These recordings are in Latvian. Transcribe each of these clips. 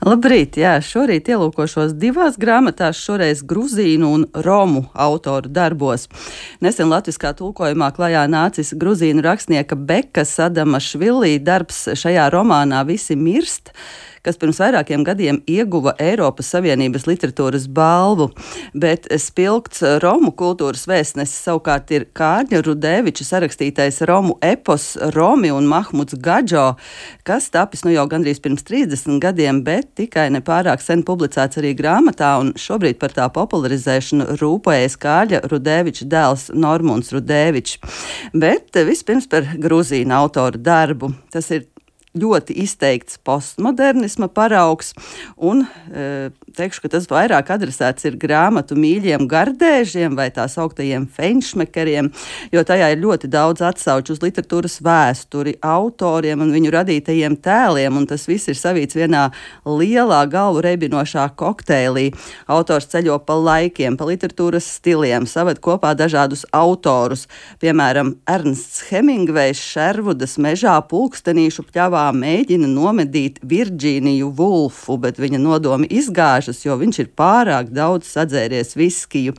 Labrīt, jā, šorīt ielūkošos divās grāmatās, šoreiz gruzīnu un romu autoru darbos. Nesen latviskā tulkojumā klajā nācis gruzīnu rakstnieka Bekas Adamašvilī darbs šajā romānā Visi mirst, kas pirms vairākiem gadiem ieguva Eiropas Savienības literatūras balvu, bet spilgts romu kultūras vēstnesis savukārt ir Kārļa Rudēviča sarakstītais romu epos Romi un Mahmuds Gadžo, kas tapis jau gandrīz pirms 30 gadiem, bet tikai nepārāk sen publicēts arī grāmatā, un šobrīd par tā popularizēšanu rūpējas Kārļa Rudēviča dēls Normunds Rudēvičs. Bet vispirms par gruzīnu autoru darbu. Tas ir ļoti izteikts postmodernisma paraugs, un teikšu, ka tas vairāk adresēts ir grāmatu mīļiem gardēžiem vai tā sauktajiem feinšmekeriem, jo tajā ir ļoti daudz atsauču uz literatūras vēsturi, autoriem un viņu radītajiem tēliem, un tas viss ir savīts vienā lielā galvu reibinošā kokteilī. Autors ceļo pa laikiem, pa literatūras stiliem, saved kopā dažādus autorus, piemēram, Ernsts Hemingvejs Šervudas mežā pulkstenīšu pļavā mēģina nomedīt Virģīniju Vulfu, bet viņa nodomi izgāžas, jo viņš ir pārāk daudz sadzēries viskiju.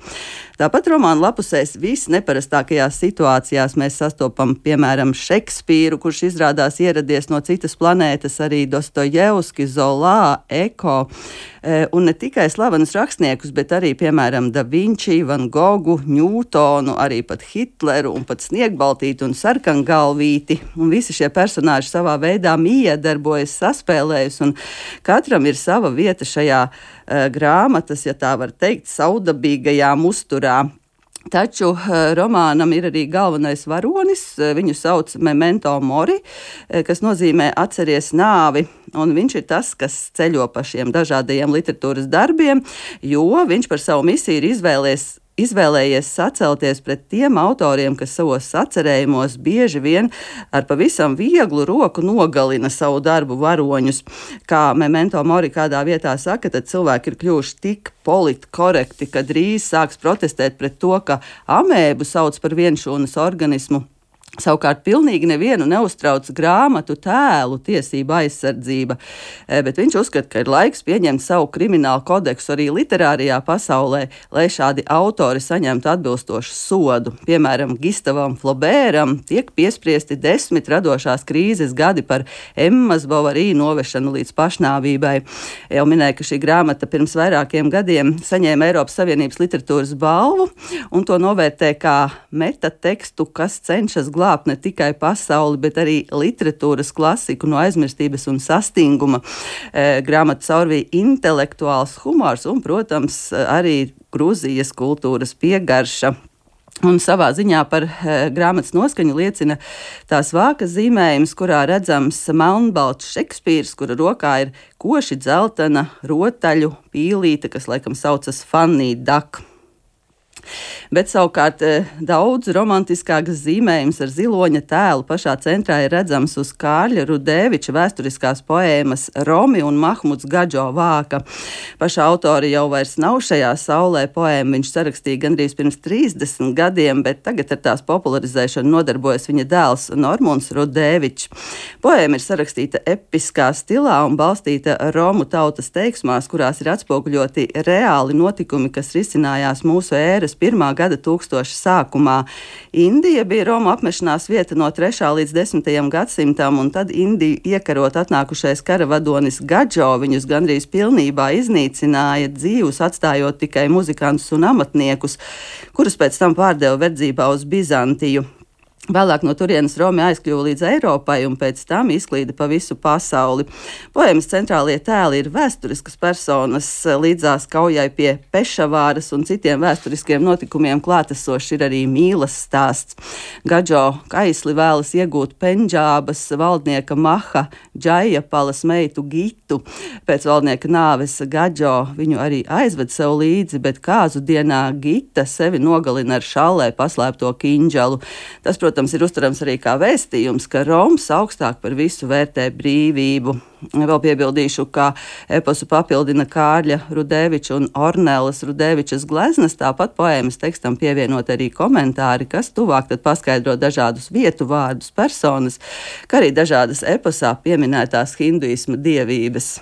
Tāpat romāna lapusēs visneparastākajās situācijās mēs sastopam, piemēram, Šekspīru, kurš izrādās ieradies no citas planētas, arī Dostojevski, Zolā, Eko, un ne tikai slavenus rakstniekus, bet arī, piemēram, Da Vinci, Van Gogu, Ņūtonu, arī pat Hitleru un pat Sniegbaltīti un Sarkangalvīti. Un visi šie personāži savā veidā iedarbojas, saspēlējas, un katram ir sava vieta šajā grāmatas, ja tā var teikt, saudabīgajā musturā. Taču romānam ir arī galvenais varonis, viņu sauc Memento Mori, kas nozīmē atceries nāvi, un viņš ir tas, kas ceļo pa šiem dažādajiem literatūras darbiem, jo viņš par savu misiju ir izvēlējies sacelties pret tiem autoriem, kas savos sacerējumos bieži vien ar pavisam vieglu roku nogalina savu darbu varoņus. Kā Memento Mori kādā vietā saka, tad cilvēki ir kļuvuši tik politkorekti, ka drīz sāks protestēt pret to, ka amēbu sauc par vienšūnas organismu. Savukārt pilnīgi nevienu neuztrauc grāmatu tēlu tiesību aizsardzība, bet viņš uzskata, ka ir laiks pieņemt savu kriminālu kodeksu arī literārijā pasaulē, lai šādi autori saņemtu atbilstošu sodu. Piemēram, Gistavam Flobēram tiek piespriesti 10 radošās krīzes gadi par Emmas Bovary novešanu līdz pašnāvībai. Jau minēju, ka šī grāmata pirms vairākiem gadiem saņēma Eiropas Savienības literatūras balvu, un to novērtē kā metatekstu, kas cenšas glābt ne tikai pasauli, bet arī literatūras klasiku no aizmirstības un sastinguma. Grāmatu caurvīja intelektuāls humors un, protams, arī Gruzijas kultūras piegarša. Un savā ziņā par grāmatas noskaņu liecina tās vākas zīmējums, kurā redzams melnbalts Šekspīrs, kura rokā ir koši dzeltena rotaļu pīlīte, kas laikam saucas Fanny Duck. Bet savukārt daudz romantiskāks zīmējums ar ziloņa tēlu pašā centrā ir redzams uz Kārļa Rudēviča vēsturiskās poēmas Romi un Mahmuds Gadžo vāka. Paša autori jau vairs nav šajā saulē, poēmu viņš sarakstīja gandrīz pirms 30 gadiem, bet tagad ar tās popularizēšanu nodarbojas viņa dēls Normunds Rudēvičs. Poēma ir sarakstīta episkā stilā un balstīta Romu tautas teiksmās, kurās ir atspoguļoti reāli notikumi, kas risinājās mūsu ēras 1. gada tūkstoša sākumā. Indija bija Romu apmešanās vieta no 3. līdz 10. gadsimtam, un tad Indiju iekarot atnākušais karavadonis Gadžo viņus gandrīz pilnībā iznīcināja, dzīvus atstājot tikai muzikantus un amatniekus, kurus pēc tam pārdeva verdzībā uz Bizantiju. Vēlāk no turienes Romi aizkļuva līdz Eiropai un pēc tam izklīda pa visu pasauli. Poēmas centrālie tēli ir vēsturiskas personas, līdzās kaujai pie Pešavāras un citiem vēsturiskiem notikumiem klātesošs ir arī mīlas stāsts. Gadžo kaisli vēlas iegūt Pendžābas valdnieka Maha Džaijapalas meitu Gitu. Pēc valdnieka nāves Gadžo viņu arī aizved sev līdzi, bet kāzu dienā Gita sevi nogalina ar šallē paslēpto kiņģalu. Tas, protams, ir uztverams arī kā vēstījums, ka Roms augstāk par visu vērtē brīvību. Vēl piebildīšu, ka eposu papildina Kārļa Rudēviča un Ornelas Rudēvičas gleznas, tāpat poēmas tekstam pievienot arī komentāri, kas tuvāk tad paskaidro dažādus vietu vārdus, personas, kā arī dažādas eposā pieminētās hinduisma dievības.